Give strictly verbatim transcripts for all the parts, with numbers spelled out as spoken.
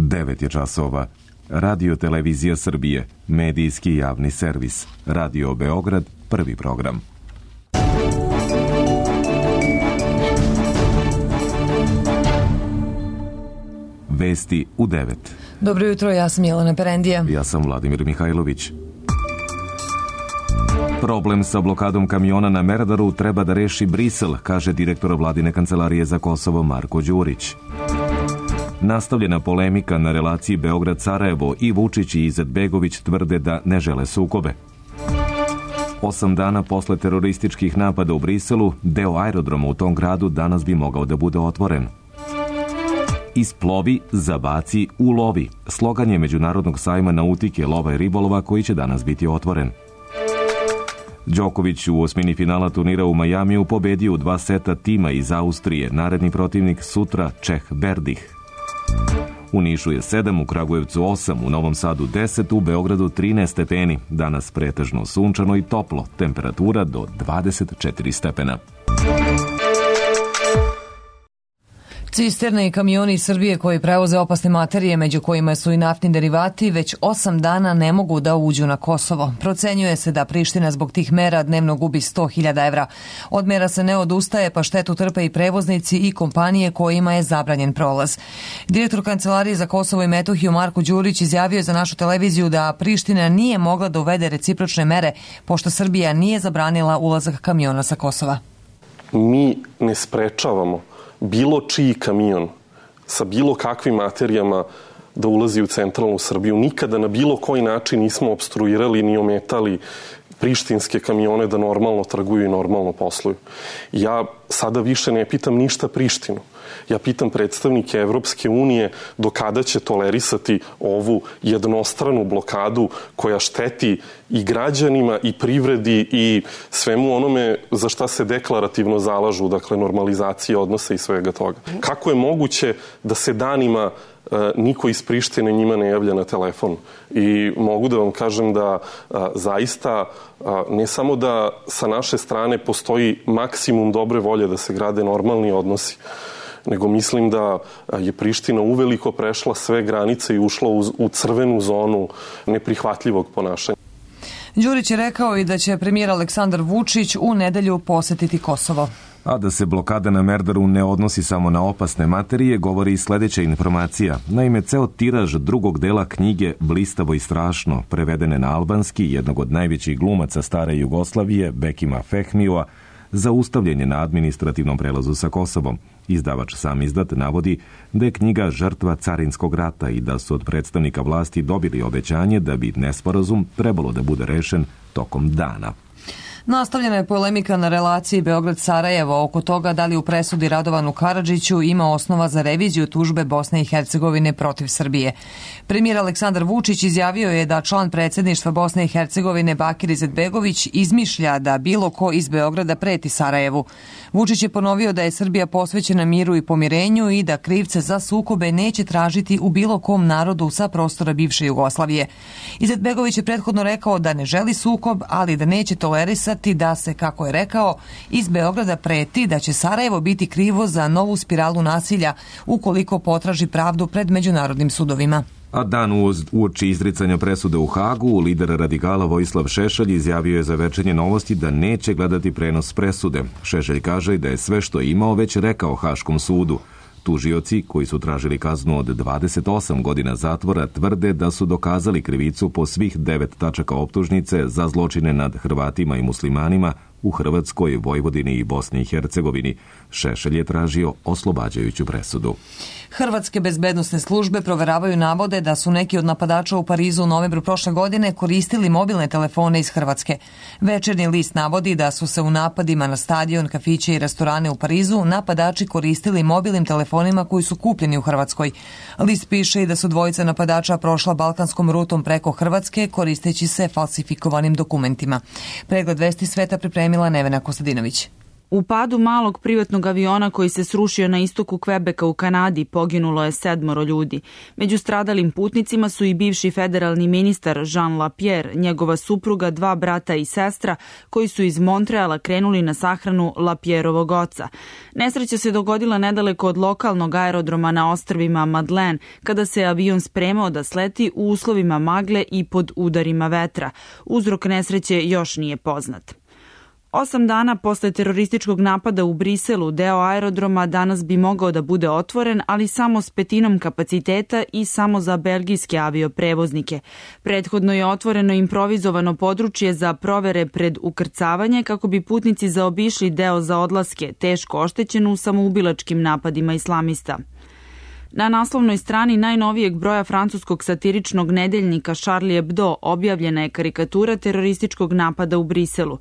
devet je časova. Radio Televizija Srbije, medijski javni servis. Radio Beograd, prvi program. Vesti u devet. Dobro jutro, ja sam Jelena Perendija. Ja sam Vladimir Mihajlović. Problem sa blokadom kamiona na Merdaru treba da reši Brisel, kaže direktor Vladine kancelarije za Kosovo Marko Đurić. Nastavljena polemika na relaciji Beograd-Sarajevo i Vučić i Izetbegović tvrde da ne žele sukobe. Osam dana posle terorističkih napada u Briselu, deo aerodroma u tom gradu danas bi mogao da bude otvoren. Isplovi, zabaci, ulovi. Slogan je Međunarodnog sajma nautike, lova i ribolova koji će danas biti otvoren. Đoković u osmini finala turnira u Majamiju pobedio u dva seta tima iz Austrije. Naredni protivnik sutra Čeh Berdih. U Nišu je sedam, u Kragujevcu osam, u Novom Sadu deset, u Beogradu trinaest stepeni. Danas pretežno sunčano i toplo, temperatura do dvadeset četiri stepena. Cisterne i kamioni iz Srbije koji prevoze opasne materije, među kojima su i naftni derivati, već osam dana ne mogu da uđu na Kosovo. Procenjuje se da Priština zbog tih mera dnevno gubi sto hiljada evra. Od mera se ne odustaje, pa štetu trpe i prevoznici i kompanije kojima je zabranjen prolaz. Direktor Kancelarije za Kosovo i Metohiju Marko Đurić izjavio za našu televiziju da Priština nije mogla da uvede recipročne mere, pošto Srbija nije zabranila ulazak kamiona sa Kosova. Mi ne sprečavamo bilo čiji kamion sa bilo kakvim materijama da ulazi u centralnu Srbiju. Nikada na bilo koji način nismo obstruirali ni ometali prištinske kamione da normalno trguju i normalno posluju. Ja sada više ne pitam ništa Prištinu. Ja pitam predstavnike Evropske unije do kada će tolerisati ovu jednostranu blokadu koja šteti i građanima i privredi i svemu onome za šta se deklarativno zalažu, dakle normalizacije odnose i svega toga. Kako je moguće da se danima niko iz Prištine njima ne javlja na telefon? I mogu da vam kažem da a, zaista a, ne samo da sa naše strane postoji maksimum dobre volje da se grade normalni odnosi, nego mislim da je Priština uveliko prešla sve granice i ušla u, u crvenu zonu neprihvatljivog ponašanja. Đurić je rekao i da će premijer Aleksandar Vučić u nedelju posetiti Kosovo. A da se blokada na Merdaru ne odnosi samo na opasne materije, govori i sledeća informacija. Naime, ceo tiraž drugog dela knjige Blistavo i strašno, prevedene na albanski, jednog od najvećih glumaca stare Jugoslavije, Bekima Fehmija, zaustavljen je na administrativnom prelazu sa Kosovom. Izdavač sam izdat navodi da je knjiga žrtva carinskog rata i da su od predstavnika vlasti dobili obećanje da bi nesporazum trebalo da bude rešen tokom dana. Nastavljena je polemika na relaciji Beograd-Sarajevo oko toga da li u presudi Radovanu Karadžiću ima osnova za reviziju tužbe Bosne i Hercegovine protiv Srbije. Premijer Aleksandar Vučić izjavio je da član predsjedništva Bosne i Hercegovine Bakir Izetbegović izmišlja da bilo ko iz Beograda preti Sarajevu. Vučić je ponovio da je Srbija posvećena miru i pomirenju i da krivce za sukobe neće tražiti u bilo kom narodu sa prostora bivše Jugoslavije. Izetbegović je prethodno rekao da ne želi sukob, ali da neće tolerisati da se, kako je rekao, iz Beograda preti da će Sarajevo biti krivo za novu spiralu nasilja ukoliko potraži pravdu pred međunarodnim sudovima. A dan uoči izricanja presude u Hagu, lider radikala Vojislav Šešelj izjavio je za Večernje novosti da neće gledati prenos presude. Šešelj kaže da je sve što je imao već rekao Haškom sudu. Tužioci, koji su tražili kaznu od dvadeset osam godina zatvora, tvrde da su dokazali krivicu po svih devet tačaka optužnice za zločine nad Hrvatima i muslimanima u Hrvatskoj, Vojvodini i Bosni i Hercegovini. Šešelj je tražio oslobađajuću presudu. Hrvatske bezbednosne službe proveravaju navode da su neki od napadača u Parizu u novembru prošle godine koristili mobilne telefone iz Hrvatske. Večernji list navodi da su se u napadima na stadion, kafiće i restorane u Parizu napadači koristili mobilnim telefonima koji su kupljeni u Hrvatskoj. List piše i da su dvojica napadača prošla balkanskom rutom preko Hrvatske koristeći se falsifikovanim dokumentima. Pregled vesti sveta pripremila Nevena Kostadinović. U padu malog privatnog aviona koji se srušio na istoku Kvebeka u Kanadi poginulo je sedmoro ljudi. Među stradalim putnicima su i bivši federalni ministar Jean Lapierre, njegova supruga, dva brata i sestra koji su iz Montreala krenuli na sahranu Lapierrovog oca. Nesreća se dogodila nedaleko od lokalnog aerodroma na ostrvima Madeleine kada se avion spremao da sleti u uslovima magle i pod udarima vetra. Uzrok nesreće još nije poznat. Osam dana posle terorističkog napada u Briselu, deo aerodroma danas bi mogao da bude otvoren, ali samo s petinom kapaciteta i samo za belgijske avioprevoznike. Prethodno je otvoreno improvizovano područje za provere pred ukrcavanje kako bi putnici zaobišli deo za odlaske, teško oštećen u samoubilačkim napadima islamista. Na naslovnoj strani najnovijeg broja francuskog satiričnog nedeljnika Charlie Hebdo objavljena je karikatura terorističkog napada u Briselu.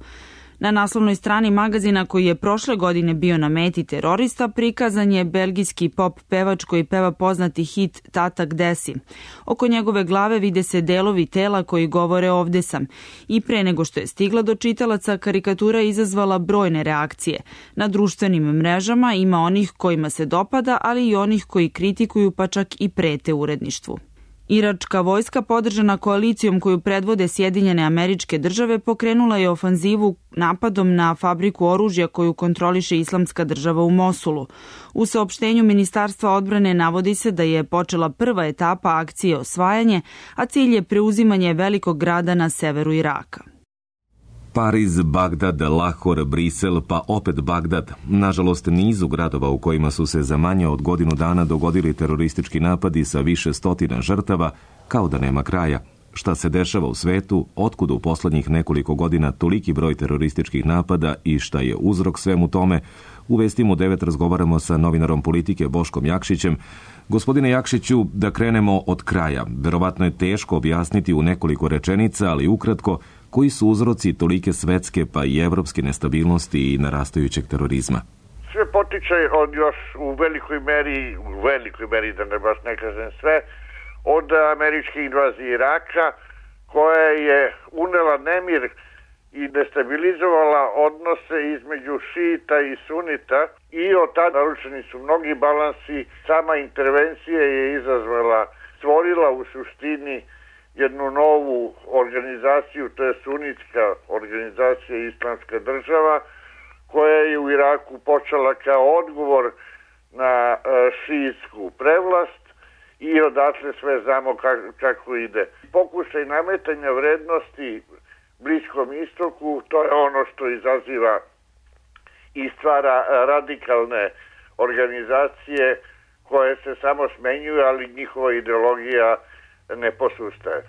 Na naslovnoj strani magazina koji je prošle godine bio na meti terorista prikazan je belgijski pop pevač koji peva poznati hit Tata gde si. Oko njegove glave vide se delovi tela koji govore ovde sam. I pre nego što je stigla do čitalaca, karikatura je izazvala brojne reakcije. Na društvenim mrežama ima onih kojima se dopada, ali i onih koji kritikuju pa čak i prete uredništvu. Iračka vojska, podržana koalicijom koju predvode Sjedinjene Američke Države, pokrenula je ofanzivu napadom na fabriku oružja koju kontroliše Islamska država u Mosulu. U saopštenju Ministarstva odbrane navodi se da je počela prva etapa akcije osvajanje, a cilj je preuzimanje velikog grada na severu Iraka. Pariz, Bagdad, Lahor, Brisel, pa opet Bagdad. Nažalost, nizu gradova u kojima su se za manje od godinu dana dogodili teroristički napadi sa više stotina žrtava, kao da nema kraja. Šta se dešava u svetu, otkud u poslednjih nekoliko godina toliki broj terorističkih napada i šta je uzrok svemu tome, u Vestima u devet razgovaramo sa novinarom politike Boškom Jakšićem. Gospodine Jakšiću, da krenemo od kraja. Verovatno je teško objasniti u nekoliko rečenica, ali ukratko, koji su uzroci tolike svetske pa i evropske nestabilnosti i narastajućeg terorizma? Sve potiče od još u velikoj meri, u velikoj meri da ne baš ne kažem sve, od američke invazije Iraka, koja je unela nemir i destabilizovala odnose između šita i sunita i od tada narušeni su mnogi balansi. Sama intervencija je izazvala, stvorila u suštini jednu novu organizaciju, to je sunitska organizacija Islamska država, koja je u Iraku počela kao odgovor na šiitsku prevlast i odatle sve znamo kako ide. Pokušaj nametanja vrednosti Bliskom istoku, to je ono što izaziva i stvara radikalne organizacije koje se samo smenjuju, ali njihova ideologija ne posustaje.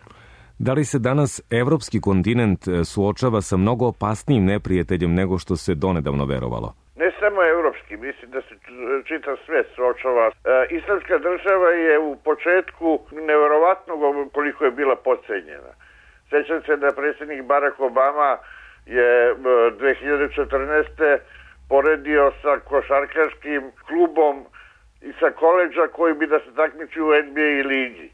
Da li se danas evropski kontinent suočava sa mnogo opasnijim neprijateljem nego što se donedavno verovalo? Ne samo evropski, mislim da se čitav svet suočava. E, Islamska država je u početku neverovatno koliko je bila podcenjena. Sećam se da predsjednik Barack Obama je dve hiljade četrnaeste. poredio sa košarkaškim klubom i sa koleđa koji bi da se takmiči u N B A ligi.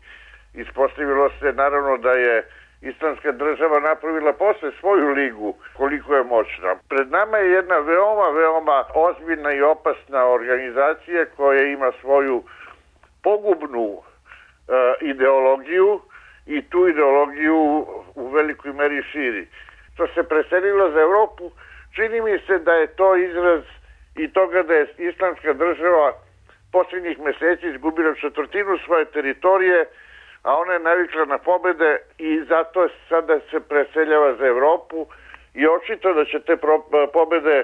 Ispostavilo se naravno da je Islamska država napravila posle svoju ligu koliko je moćna. Pred nama je jedna veoma, veoma ozbiljna i opasna organizacija koja ima svoju pogubnu e, ideologiju i tu ideologiju u velikoj meri širi. Što se preselilo za Evropu, čini mi se da je to izraz i toga da je Islamska država posljednjih meseci izgubila četvrtinu svoje teritorije, a ona je navikla na pobede i zato sada se preseljava za Evropu i očito da će te pobede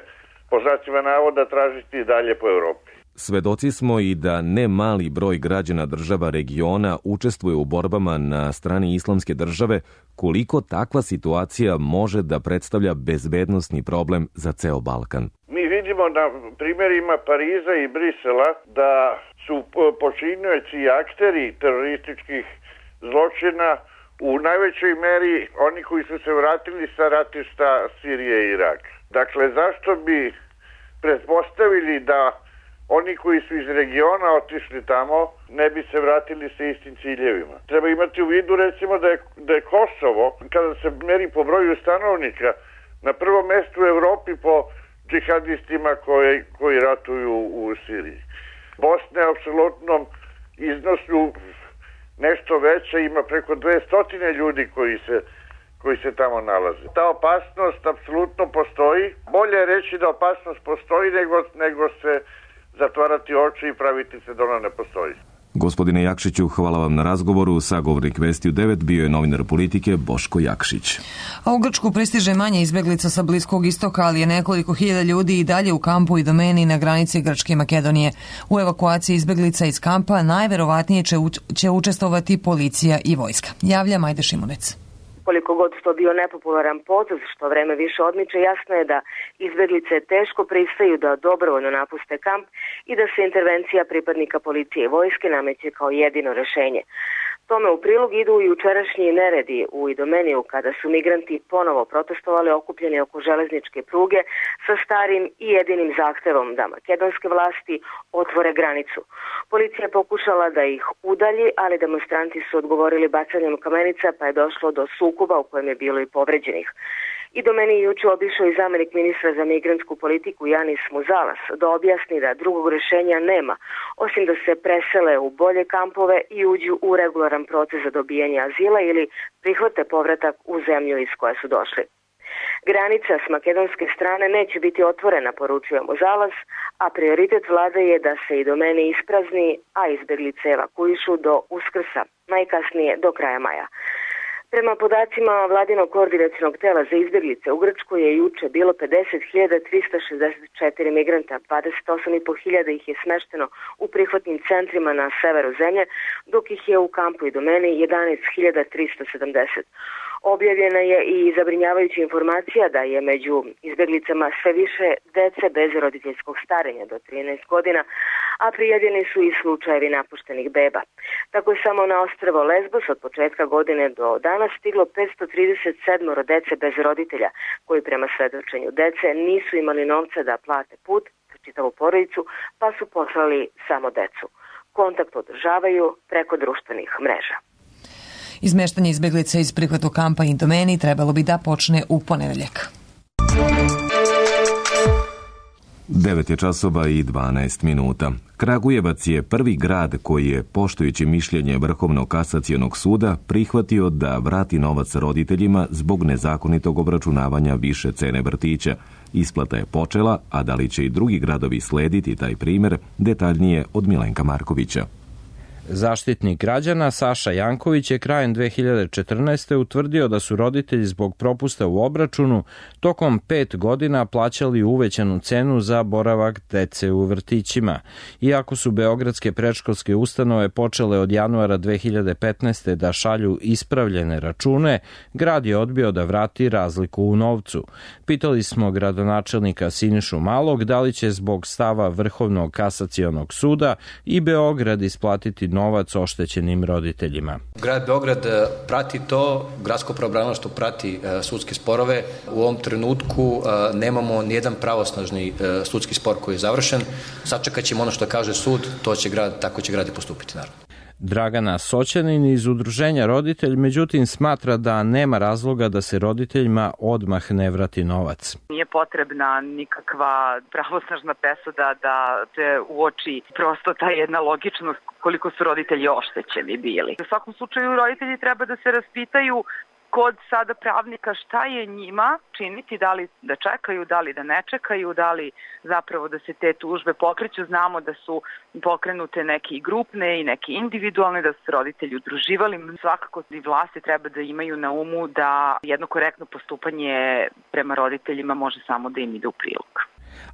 po znacima navoda tražiti i dalje po Evropi. Svedoci smo i da ne mali broj građana država regiona učestvuje u borbama na strani Islamske države. Koliko takva situacija može da predstavlja bezbednosni problem za ceo Balkan? Mi vidimo na primjerima Pariza i Brisela da su počinioci i akteri terorističkih zločina u najvećoj meri oni koji su se vratili sa ratišta Sirije i Iraka. Dakle, zašto bi pretpostavili da oni koji su iz regiona otišli tamo ne bi se vratili sa istim ciljevima? Treba imati u vidu recimo da je, da je Kosovo, kada se meri po broju stanovnika, na prvom mestu u Evropi po džihadistima koji, koji ratuju u Siriji. Bosna je u apsolutnom iznosu nešto veća, ima preko dvesta ljudi koji se, koji se tamo nalaze. Ta opasnost apsolutno postoji. Bolje je reći da opasnost postoji nego, nego se zatvarati oči i praviti se da ona ne postoji. Gospodine Jakšiću, hvala vam na razgovoru. Sagovornik Vesti u devet bio je novinar Politike Boško Jakšić. A u Grčku pristiže manje izbeglica sa Bliskog istoka, ali je nekoliko hiljada ljudi i dalje u kampu i domeni na granici Grčke i Makedonije. U evakuaciji izbeglica iz kampa najverovatnije će, će učestvovati policija i vojska. Javlja Majda Šimunec. Koliko god to bio nepopularan potez, što vreme više odmiče, jasno je da izbeglice teško pristaju da dobrovoljno napuste kamp i da se intervencija pripadnika policije i vojske nameće kao jedino rešenje. Tome u prilog idu i jučerašnji neredi u Idomeniju kada su migranti ponovo protestovali okupljeni oko železničke pruge sa starim i jedinim zahtevom da makedonske vlasti otvore granicu. Policija je pokušala da ih udalji, ali demonstranti su odgovorili bacanjem kamenica pa je došlo do sukoba u kojem je bilo i povređenih. Idomeni je juče obišao i zamenik ministra za migrantsku politiku Janis Muzalas da objasni da drugog rešenja nema, osim da se presele u bolje kampove i uđu u regularan proces za dobijanje azila ili prihvate povratak u zemlju iz koje su došli. Granica s makedonske strane neće biti otvorena, poručuje Muzalas, a prioritet vlade je da se Idomeni isprazni, a izbeglice evakuišu do Uskrsa, najkasnije do kraja maja. Prema podacima vladinog koordinacionog tela za izbeglice u Grčkoj je juče bilo pedeset hiljada trista šezdeset četiri migranta, dvadeset osam i po hiljada ih je smešteno u prihvatnim centrima na severu zemlje, dok ih je u kampu Idomeni jedanaest hiljada trista sedamdeset. Objavljena je i zabrinjavajuća informacija da je među izbeglicama sve više dece bez roditeljskog starenja do trinaest godina, a prijavljeni su i slučajevi napuštenih beba. Tako je samo na ostrvo Lesbos od početka godine do danas stiglo petsto trideset sedam dece bez roditelja, koji prema svedočenju dece nisu imali novca da plate put za čitavu porodicu, pa su poslali samo decu. Kontakt održavaju preko društvenih mreža. Izmeštanje izbeglica iz prihvatu kampa Idomeni trebalo bi da počne u ponedeljak. devet je časova i dvanaest minuta. Kragujevac je prvi grad koji je, poštujući mišljenje Vrhovnog kasacionog suda, prihvatio da vrati novac roditeljima zbog nezakonitog obračunavanja više cene vrtića. Isplata je počela, a da li će i drugi gradovi slediti taj primjer, detaljnije od Milenka Markovića. Zaštitnik građana Saša Janković je krajem dve hiljade četrnaeste. utvrdio da su roditelji zbog propusta u obračunu tokom pet godina plaćali uvećanu cenu za boravak dece u vrtićima. Iako su beogradske predškolske ustanove počele od januara dve hiljade petnaeste. da šalju ispravljene račune, grad je odbio da vrati razliku u novcu. Pitali smo gradonačelnika Sinišu Malog da li će zbog stava Vrhovnog kasacionog suda i Beograd isplatiti novac oštećenim roditeljima. Grad Beograd prati to, gradsko pravobranilaštvo prati sudske sporove. U ovom trenutku nemamo nijedan pravosnažni sudski spor koji je završen. Sačekat ćemo ono što kaže sud, to će grad, tako će grad i postupiti, naravno. Dragana Soćanin iz Udruženja Roditelj, međutim, smatra da nema razloga da se roditeljima odmah ne vrati novac. Nije potrebna nikakva pravosnažna presuda da se uoči prosto ta jedna logičnost koliko su roditelji oštećeni bili. U svakom slučaju roditelji treba da se raspitaju kod sada pravnika šta je njima činiti, da li da čekaju, da li da ne čekaju, da li zapravo da se te tužbe pokreću. Znamo da su pokrenute neke i grupne i neke individualne, da su se roditelji udruživali. Svakako i vlasti treba da imaju na umu da jedno korektno postupanje prema roditeljima može samo da im ide u prilog.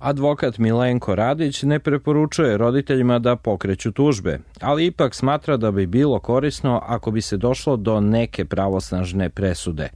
Advokat Milenko Radić ne preporučuje roditeljima da pokreću tužbe, ali ipak smatra da bi bilo korisno ako bi se došlo do neke pravosnažne presude.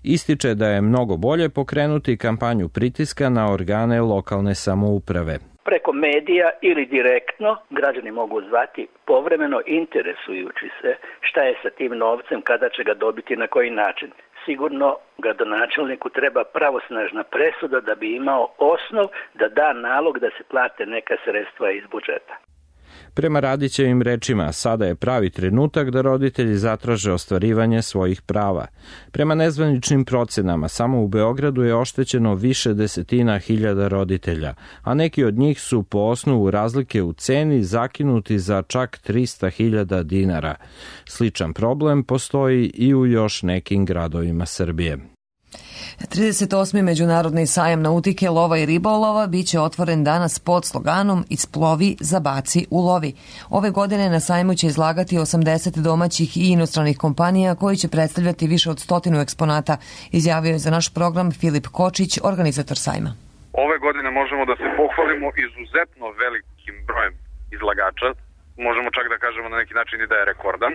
Ističe da je mnogo bolje pokrenuti kampanju pritiska na organe lokalne samouprave. Preko medija ili direktno građani mogu zvati povremeno interesujući se šta je sa tim novcem, kada će ga dobiti, na koji način. Sigurno gradonačelniku treba pravosnažna presuda da bi imao osnov da da nalog da se plate neka sredstva iz budžeta. Prema Radićevim rečima, sada je pravi trenutak da roditelji zatraže ostvarivanje svojih prava. Prema nezvaničnim procenama, samo u Beogradu je oštećeno više desetina hiljada roditelja, a neki od njih su po osnovu razlike u ceni zakinuti za čak trista hiljada dinara. Sličan problem postoji i u još nekim gradovima Srbije. trideset osmi Međunarodni sajam nautike, lova i ribolova biće otvoren danas pod sloganom Isplovi, zabaci, ulovi. Ove godine na sajmu će izlagati osamdeset domaćih i inostranih kompanija koji će predstavljati više od stotinu eksponata, izjavio je za naš program Filip Kočić, organizator sajma. Ove godine možemo da se pohvalimo izuzetno velikim brojem izlagača, možemo čak da kažemo na neki način i da je rekordan,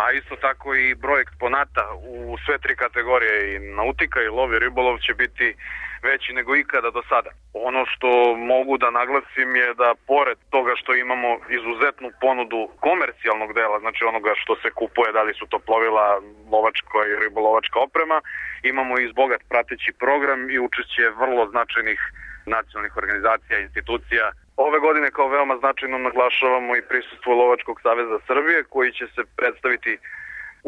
a isto tako i broj eksponata u sve tri kategorije, i nautika i lov i ribolov, će biti veći nego ikada do sada. Ono što mogu da naglasim je da pored toga što imamo izuzetnu ponudu komercijalnog dela, znači onoga što se kupuje, da li su to plovila, lovačka i ribolovačka oprema, imamo i bogat prateći program i učešće vrlo značajnih nacionalnih organizacija i institucija. Ove godine kao veoma značajno naglašavamo i prisustvo Lovačkog saveza Srbije, koji će se predstaviti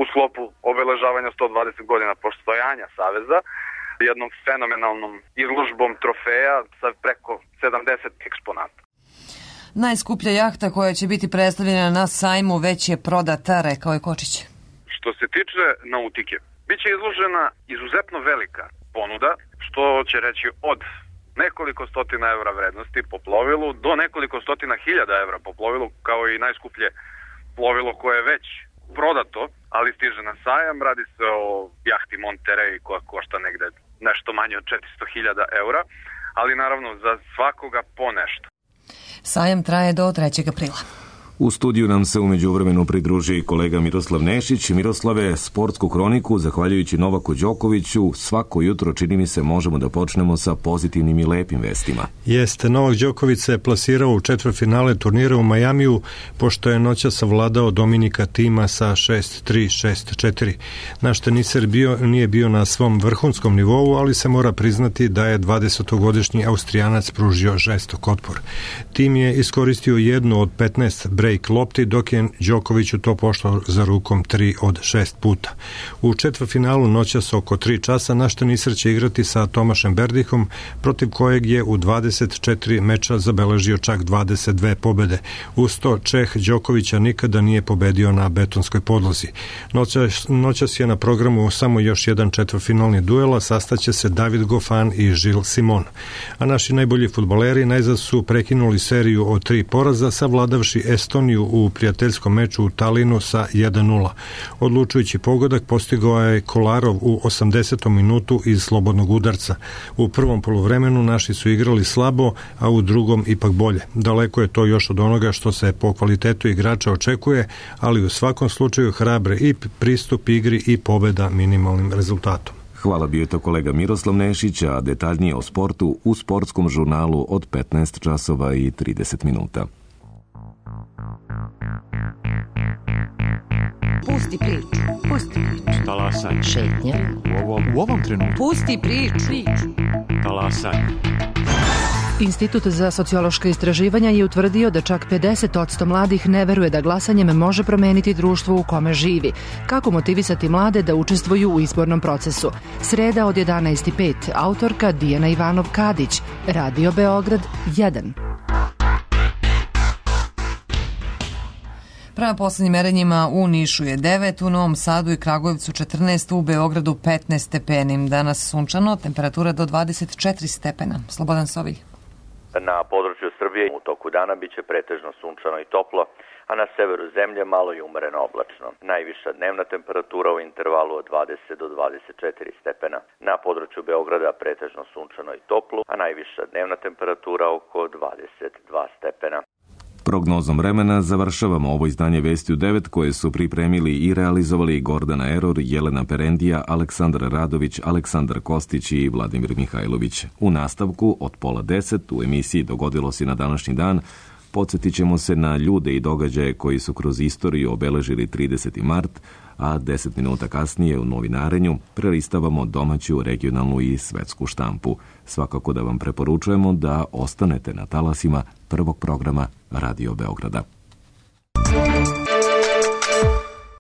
u sklopu obeležavanja sto dvadeset godina postojanja saveza, jednom fenomenalnom izložbom trofeja sa preko sedamdeset eksponata. Najskuplja jahta koja će biti predstavljena na sajmu već je prodata, rekao je Kočić. Što se tiče nautike, biće izložena izuzetno velika ponuda, što će reći od nekoliko stotina evra vrednosti po plovilu do nekoliko stotina hiljada evra po plovilu, kao i najskuplje plovilo koje je već prodato, ali stiže na sajam. Radi se o jahti Monterey koja košta negde nešto manje od četiristo hiljada evra, ali naravno za svakoga po nešto. Sajam traje do trećeg aprila. U studiju nam se umeđu vremenu pridruži i kolega Miroslav Nešić. Miroslave, sportsku kroniku, zahvaljujući Novaku Đokoviću, svako jutro, čini mi se, možemo da počnemo sa pozitivnim i lepim vestima. Jeste, Novak Đoković se plasirao u četvrtfinale turnira u Majamiju, pošto je noćas savladao Dominika Tima sa šest tri, šest četiri. Naš teniser bio, nije bio na svom vrhunskom nivou, ali se mora priznati da je dvadesetogodišnji Austrijanac pružio žestok otpor. Tim je iskoristio jednu od petnaest break lopti, dok je Đokoviću to pošlo za rukom tri od šest puta. U četvrtfinalu noćas oko tri časa naš teniser će igrati sa Tomašem Berdihom, protiv kojeg je u dvadeset četiri meča zabeležio čak dvadeset dve pobede. Uz to Čeh Đokovića nikada nije pobedio na betonskoj podlozi. Noćas, noćas je na programu samo još jedan četvrtfinalni duel, a sastaće se David Goffin i Gilles Simon. A naši najbolji fudbaleri najzad su prekinuli seriju od tri poraza, savladavši Estoniju u prijateljskom meču u Talinu sa jedan nula. Odlučujući pogodak postigao je Kolarov u osamdesetom minutu iz slobodnog udarca. U prvom poluvremenu naši su igrali slabo, a u drugom ipak bolje. Daleko je to još od onoga što se po kvalitetu igrača očekuje, ali u svakom slučaju hrabre i pristup igri i pobeda minimalnim rezultatom. Hvala, bio je to kolega Miroslav Nešić, a detaljnije o sportu u sportskom žurnalu od petnaest časova i trideset minuta. Pusti priču, pusti priču. Talasaj. Šetnja. U ovom, u ovom trenutku. Pusti priču. Talasaj. Institut za sociološka istraživanja je utvrdio da čak pedeset posto mladih ne veruje da glasanjem može promeniti društvo u kome živi. Kako motivisati mlade da učestvuju u izbornom procesu? Sreda od jedanaest i pet, autorka Dijana Ivanov-Kadić, Radio Beograd jedan. Prema poslednjim merenjima u Nišu je devet, u Novom Sadu i Kragujevcu četrnaest, u Beogradu petnaest stepeni. Danas sunčano, temperatura do dvadeset četiri stepena. Slobodan Sovilj. Na području Srbije u toku dana biće pretežno sunčano i toplo, a na severu zemlje malo i umereno oblačno. Najviša dnevna temperatura u intervalu od dvadeset do dvadeset četiri stepena. Na području Beograda pretežno sunčano i toplo, a najviša dnevna temperatura oko dvadeset dva stepena. Prognozom vremena završavamo ovo izdanje Vesti u devet koje su pripremili i realizovali Gordana Eror, Jelena Perendija, Aleksandar Radović, Aleksandar Kostić i Vladimir Mihajlović. U nastavku od pola deset u emisiji Dogodilo se na današnji dan podsjetit ćemo se na ljude i događaje koji su kroz istoriju obeležili trideseti mart, a deset minuta kasnije u novinarenju prelistavamo domaću, regionalnu i svetsku štampu. Svakako da vam preporučujemo da ostanete na talasima prvog programa Radio Beograda. Podcast.